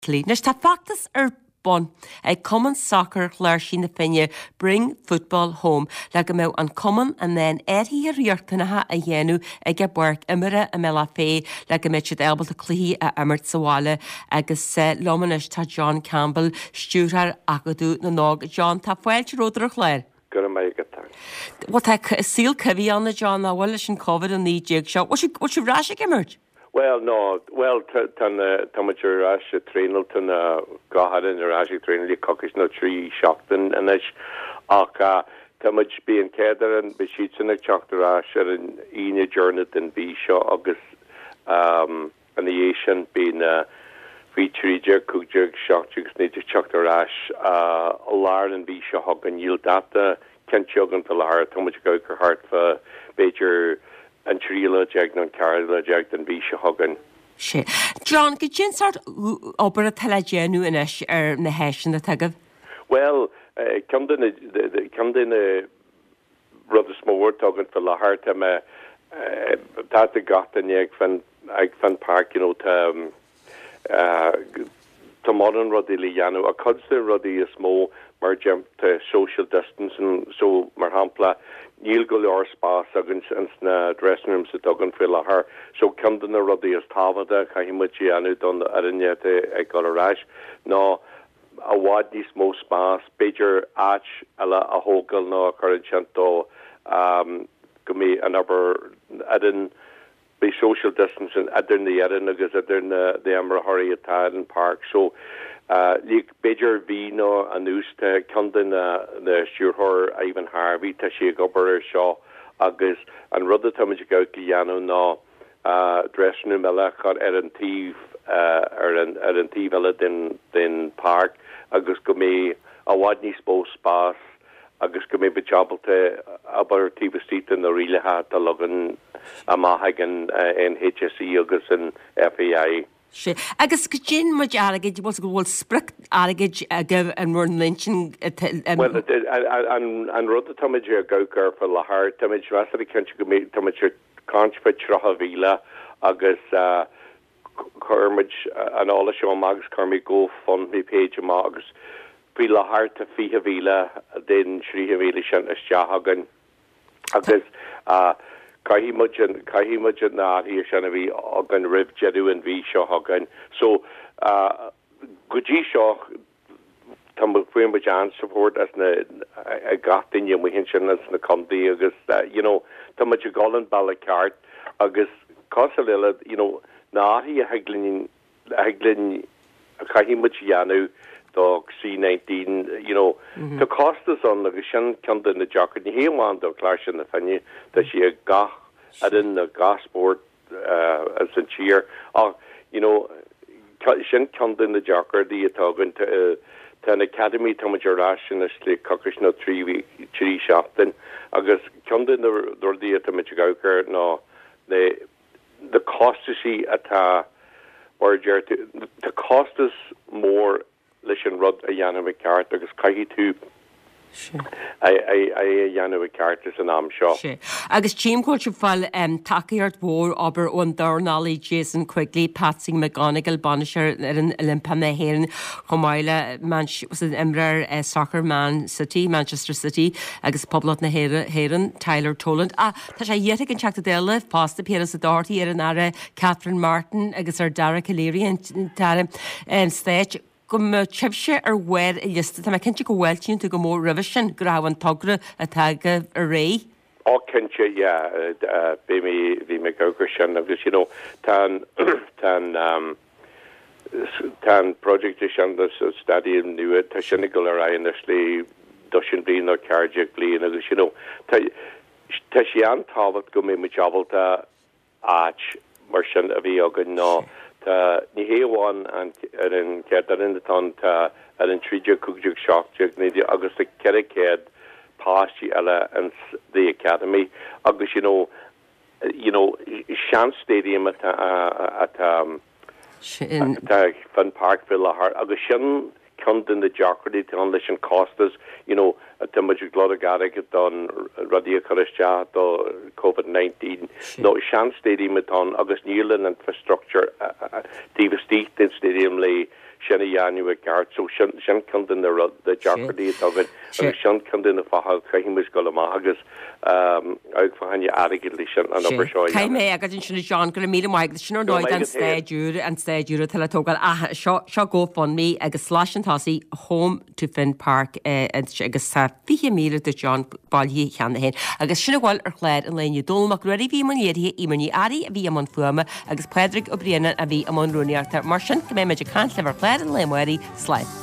Anois tá feachtas ar bun ag Cumann Sacair Chláirsí na Finne, Bring Football Home, le go mbeadh an cumann in ann athruithe riachtanacha a dhéanamh ag a bpáirc imeartha i mBealach Féich le go mbeidh siad ábalta cluichí a imirt sa bhaile. Agus liom anois tá John Campbell, Stiúrthóir Acadamh na nÓg. John, tá fáilte romhat ar an chlár. Go raibh maith agat, thanks. Bhuel tá saol coimhthíoch ann a John, nach bhfuil, leis an Covid-19 seo. Bhfuil sibh ar ais ag imirt? Bhuel, no, bhuel, tá na, tá muid ar ais ag traenáil, tá na, gach fhoireann ar ais ag traenáil le coicís nó 3 seachtain anois ach tá muid, beidh an chéad fhoireann, beidh siadsan ag teacht ar ais ar an Aoine deireanach den mhí seo agus ina dhiaidh sin beidh na faoi 13, 15, 17 agus 19 ag teacht ar ais i lár an mhí seo chugainn. Níl dáta cinnte againn faoi láthair, tá muid ag amharc ar thart fá b'fhéidir an tríú lá déag nó an ceathrú lá déag den mhí seo chugainn. Sea. John, goidé an sórt obair atá le déanamh anois ar na háiseanna atá agaibh? Bhuel, ceann de na, ceann de na rud is mó atá againn faoi láthair, tá mé, tá tá gach duine ag Finn, ag Finn Park, you know, tá, Tá mórán rudaí le dhéanamh ach cuid de na rudaí is mó mar tá social distancing so mar shampla níl go leor spás againn ins na dressing rooms atá againn faoi láthair so ceann de na rudaí is tábhachtaí a chaithfidh muid a dhéanamh don fhoireann atá ag dul ar ais ná i bhfad níos mó spás, b'fhéidir áit eile a thógáil nó a chur ansin do go mbeidh an obair fhoireann Beidh social distancing idir na fhoireann agus idir na imreoirí atá ar an páirc so like b'fhéidir mhí nó anuas tá ceann de na na stiúrthóir Ivan Harvey tá sé ag obair ar seo agus an rud atá muid ag amharc a dhéanamh ná dressing room eile a chur ar an taobh ar an ar an taobh eile den den páirc agus go mbeidh i bhfad níos mó spás agus go mbeidh muid ábalta obair taobh istigh de na rialacha atá leagtha amach ag an HSE agus an FAI. Sea. Agus goidé an méid airgid, bhfuil go bhfuil sprioc airgid agaibh in bhur n-intinn? Bhuel, an rud atá muid ag amharc air faoi láthair, tá muid measartha cinnte go mbeidh, tá muid ag caint faoi 30,000 agus chuir muid an eolas seo amach agus chuir muid GoFundMe page amach agus faoi láthair tá 20,000 den 30,000 sin isteach againn agus caithfidh muid an, caithfidh muid na hathruithe sin a bheith againn roimh deireadh an mhí seo chugainn. So go dtí seo tá muid, fuair muid an-support as na, ag gach duine amuigh ansin ins na contae agus you know tá muid ag dul an bealach ceart agus cosúil le you know na hathruithe a thig linn, a thig linn, a chaithfidh muid a dhéanamh do C19 you know tá costas ann agus sin ceann de na deacrachtaí, ní hé amháin do Chláirsigh na Finne, tá sé ag gach fhoireann, ag gach spórt ins an tír ach you know sin ceann de na deacrachtaí atá againn. Tá an Academy, tá muid ar ais anois le coicís nó 3 seachtain agus ceann de na rudaí atá muid ag amharc air ná na na costaisí atá, mar a deir tú, tá costas mór leis an rud a dhéanamh i gceart agus caithfidh tú é a dhéanamh i gceart ins an am seo. Sea. Agus tchím go bhfuil sibh ag fáil tacaíocht mhór, abair, ón dornálaí Jason Quigley, Patsy McGonigal, bainisteoir fhoireann Oilimpeach na hÉireann, chomh maith le an imreoir sacair Man City, Manchester City agus Poblacht na hÉireann, Tyler Toland. Ach tá sé iarrtha ag an Teachta Dála fosta, Piaras Ó Dochartaigh, ar an Aire Catherine Martin agus ar Dara Calleary, an tAire Stáit, go mbeadh sibhse ar bharr an liosta. Tá mé cinnte go bhfáiltíonn tú go mór roimhe sin, go rachadh an togra atá agaibh ar aghaidh. Ó cinnte, yeah, bhí mé, bhí mé ag amharc air sin agus you know tá an, tá an, tá an project sin sa stadium nua, tá sin ag dul ar aghaidh anois le dosaen bliain nó 14 bliain agus you know tá, tá sé an-tábhacht go mbeidh muid ábalta áit mar sin a bheith againn nó tá, ní hé amháin an ar an chéad fhoireann atá ann, tá ar an 13, 15, 17, 19 agus tá 400 páistí eile ins the academy agus you know, you know sean stadium atá atá atá ag Finn Park faoi láthair agus sin ceann de na deacrachtaí atá ann leis an costas, you know, tá muid ag lorg airgead don rudaí a chur isteach do Covid 19 nó sean stadium atá ann agus níl an infrastructure taobh istigh den stadium le. sin a dhéanamh i gceart. So sin sin ceann de na rud na deacrachtaí atá againn agus sin ceann de na fátha a chaithfidh muid dul amach agus amharc fá choinne airgead leis an obair seo a dhéanamh. Caithfidh mé é a fhágáil ansin a John, go raibh míle maith agat. Sin ar ndóigh don staid úr, an staid úr atá le tógáil. Ach seo, seo GoFundMe agus slais chun tosaigh Home to Finn Park agus tá 20,000 do John bailithe cheana féin. Agus sin a bhfuil ar chlár an lae inniu. Dónall Mac Ruairí a bhí i mbun léirithe, Eimear Ní Fhearraigh a bhí i mbun fuaime agus Pádraig Ó Braonáin a bhí i mbun rúnaíochta. Mar sin, go mbeidh muid ag caint libh ar chlár an lae amárach. Slán.